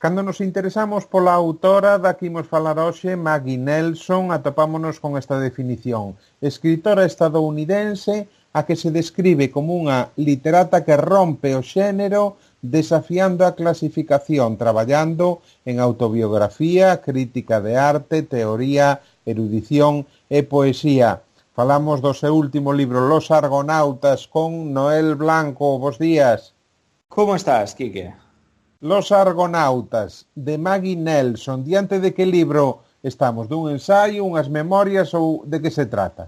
Cando nos interesamos pola autora da que imos falar hoxe, Maggie Nelson, atopámonos con esta definición. Escritora estadounidense a que se describe como unha literata que rompe o xénero desafiando a clasificación, traballando en autobiografía, crítica de arte, teoría, erudición e poesía. Falamos do seu último libro, Los Argonautas, con Noel Blanco. Bos días. Como estás, Quique? Los Argonautas, de Maggie Nelson. Diante de que libro estamos? Dun ensaio, unhas memorias ou de que se trata?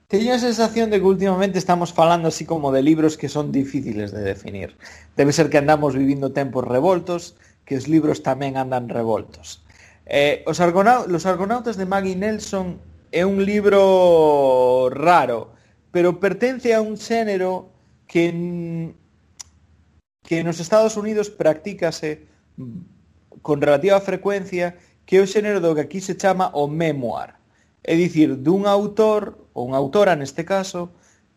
Teño a sensación de que últimamente estamos falando así como de libros que son difíciles de definir. Debe ser que andamos vivindo tempos revoltos, que os libros tamén andan revoltos. Los Argonautas de Maggie Nelson é un libro raro, pero pertence a un xénero que nos Estados Unidos practícase con relativa frecuencia, que é o xénero do que aquí se chama o memoir. É dicir, dun autor, ou unha autora neste caso,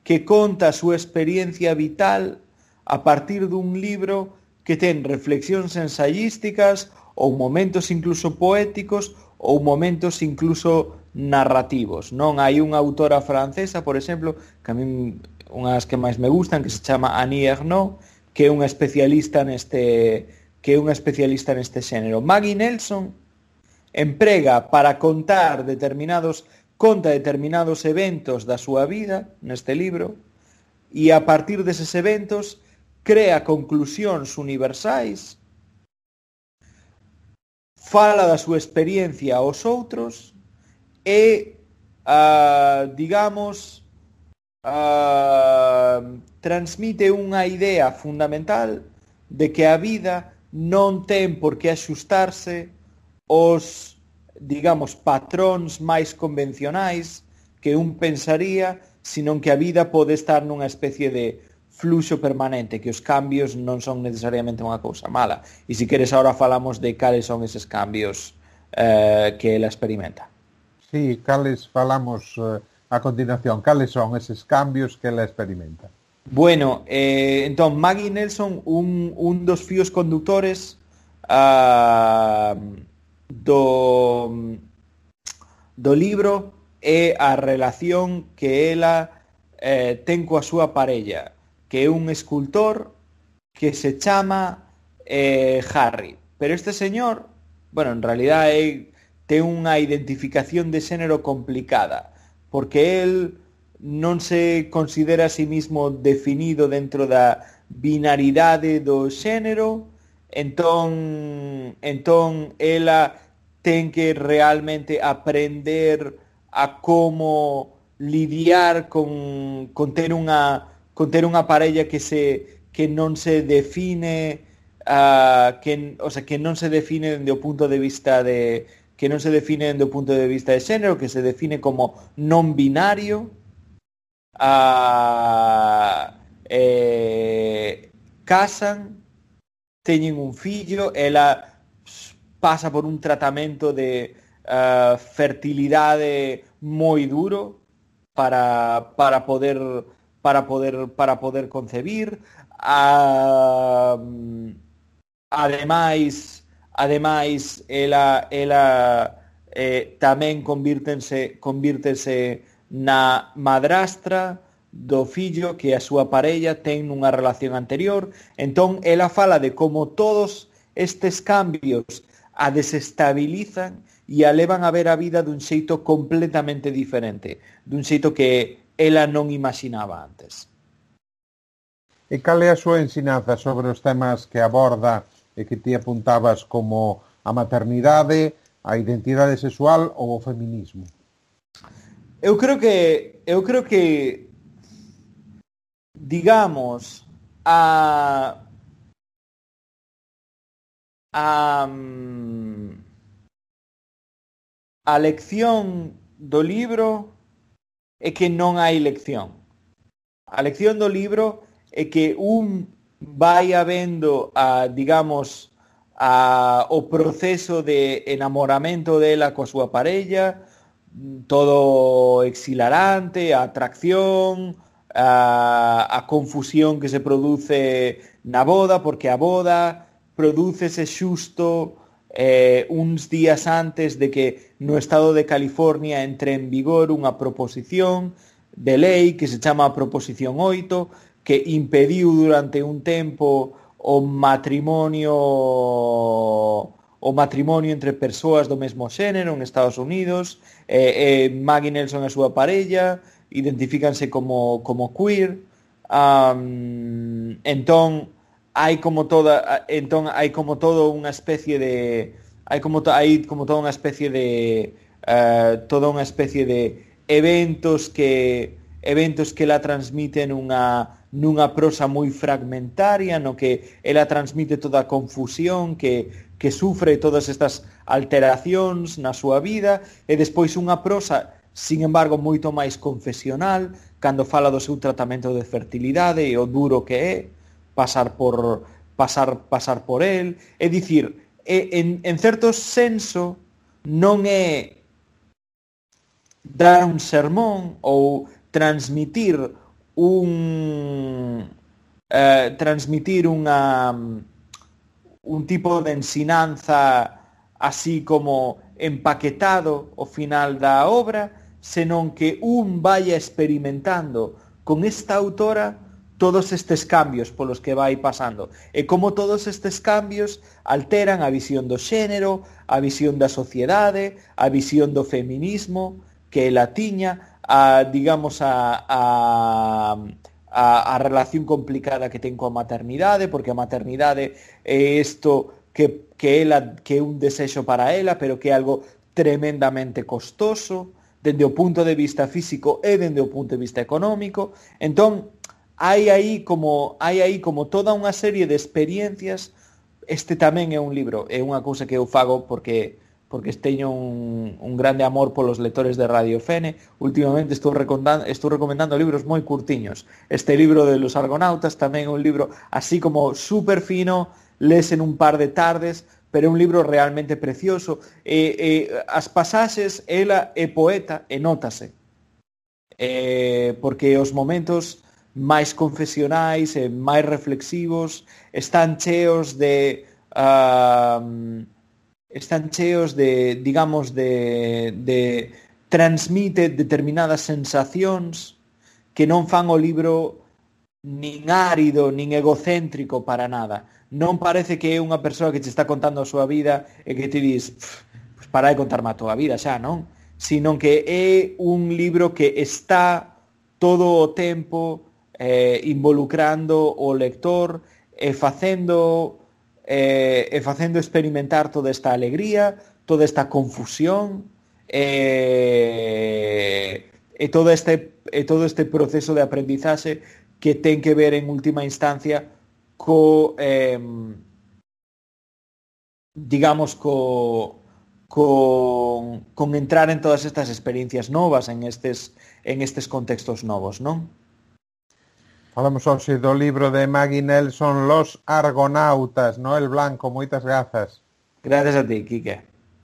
que conta a súa experiencia vital a partir dun libro que ten reflexións ensayísticas ou momentos incluso poéticos ou momentos incluso narrativos. Non hai unha autora francesa, por exemplo, que a min unhas que máis me gustan, que se chama Annie Ernaux, que é unha especialista neste xénero. Maggie Nelson emprega para conta determinados eventos da súa vida neste libro, e a partir deses eventos crea conclusións universais, fala da súa experiencia aos outros e, transmite unha idea fundamental de que a vida non ten por que axustarse os, patróns máis convencionais que un pensaría, senón que a vida pode estar nunha especie de fluxo permanente, que os cambios non son necesariamente unha cousa mala. E se queres agora falamos de cales son eses cambios que ela experimenta. Sí, cales falamos a continuación. Cales son eses cambios que ela experimenta? Bueno, entón, Maggie Nelson, un dos fíos conductores do libro é a relación que ela ten coa súa parella, que é un escultor que se chama Harry. Pero este señor, bueno, en realidad ten unha identificación de xénero complicada, porque él non se considera a sí mismo definido dentro da binaridade do xénero, entón ela ten que realmente aprender a como lidiar con ter unha parella que non se define, que non se define dende o punto de vista de xénero, que se define como non binario. Casan, teñen un fillo, ela pasa por un tratamento de fertilidade moi duro para poder concebir. Ademais ela tamén convírtese na madrastra do fillo que a súa parella ten nunha relación anterior. Entón ela fala de como todos estes cambios a desestabilizan e a levan a ver a vida dun xeito completamente diferente, dun xeito que ela non imaginaba antes. E cal é a súa ensinanza sobre os temas que aborda e que ti apuntabas como a maternidade, a identidade sexual ou o feminismo? Eu creo que digamos a lección do libro é que non hai lección. A lección do libro é que un vai habendo o proceso de enamoramento dela coa súa parella, todo exhilarante, a atracción, a confusión que se produce na boda, porque a boda prodúcese xusto uns días antes de que no estado de California entre en vigor unha proposición de lei que se chama Proposición 8, que impediu durante un tempo o matrimonio entre persoas do mesmo xénero en Estados Unidos. Maggie Nelson e a súa parella identifícanse como queer. Entón hai como toda unha especie de toda unha especie de eventos que ela transmite nunha prosa moi fragmentaria, no que ela transmite toda a confusión que sufre todas estas alteracións na súa vida, e despois unha prosa, sin embargo, moito máis confesional, cando fala do seu tratamento de fertilidade e o duro que é pasar por el. É dicir, en certo senso non é dar un sermón ou transmitir un tipo de ensinanza así como empaquetado ao final da obra, senón que un vaya experimentando con esta autora todos estes cambios polos que vai pasando, e como todos estes cambios alteran a visión do xénero, a visión da sociedade, a visión do feminismo que ela tiña, a relación complicada que ten coa maternidade, porque a maternidade é isto que é un desexo para ela, pero que é algo tremendamente costoso, dende o punto de vista físico e dende o punto de vista económico. Entón, hai aí como toda unha serie de experiencias. Este tamén é un libro, é unha cousa que eu fago porque teño un grande amor polos lectores de Radio Fene. Últimamente estou recomendando libros moi curtiños. Este libro de Los Argonautas tamén é un libro así como super fino, lese en un par de tardes, pero é un libro realmente precioso. As pasaxes, ela é poeta e nótase, porque os momentos máis confesionais e máis reflexivos están cheos de transmite determinadas sensacións que non fan o libro nin árido, nin egocéntrico para nada. Non parece que é unha persoa que te está contando a súa vida e que te dis, pues para de contarme a túa vida xa, non? Sino que é un libro que está todo o tempo involucrando o lector e facendo experimentar toda esta alegría, toda esta confusión e todo este proceso de aprendizaxe que ten que ver en última instancia con entrar en todas estas experiencias novas, en estes contextos novos, non? Falamos hoxe do libro de Maggie Nelson, Los Argonautas, Noel Blanco, moitas grazas. Gracias a ti, Quique.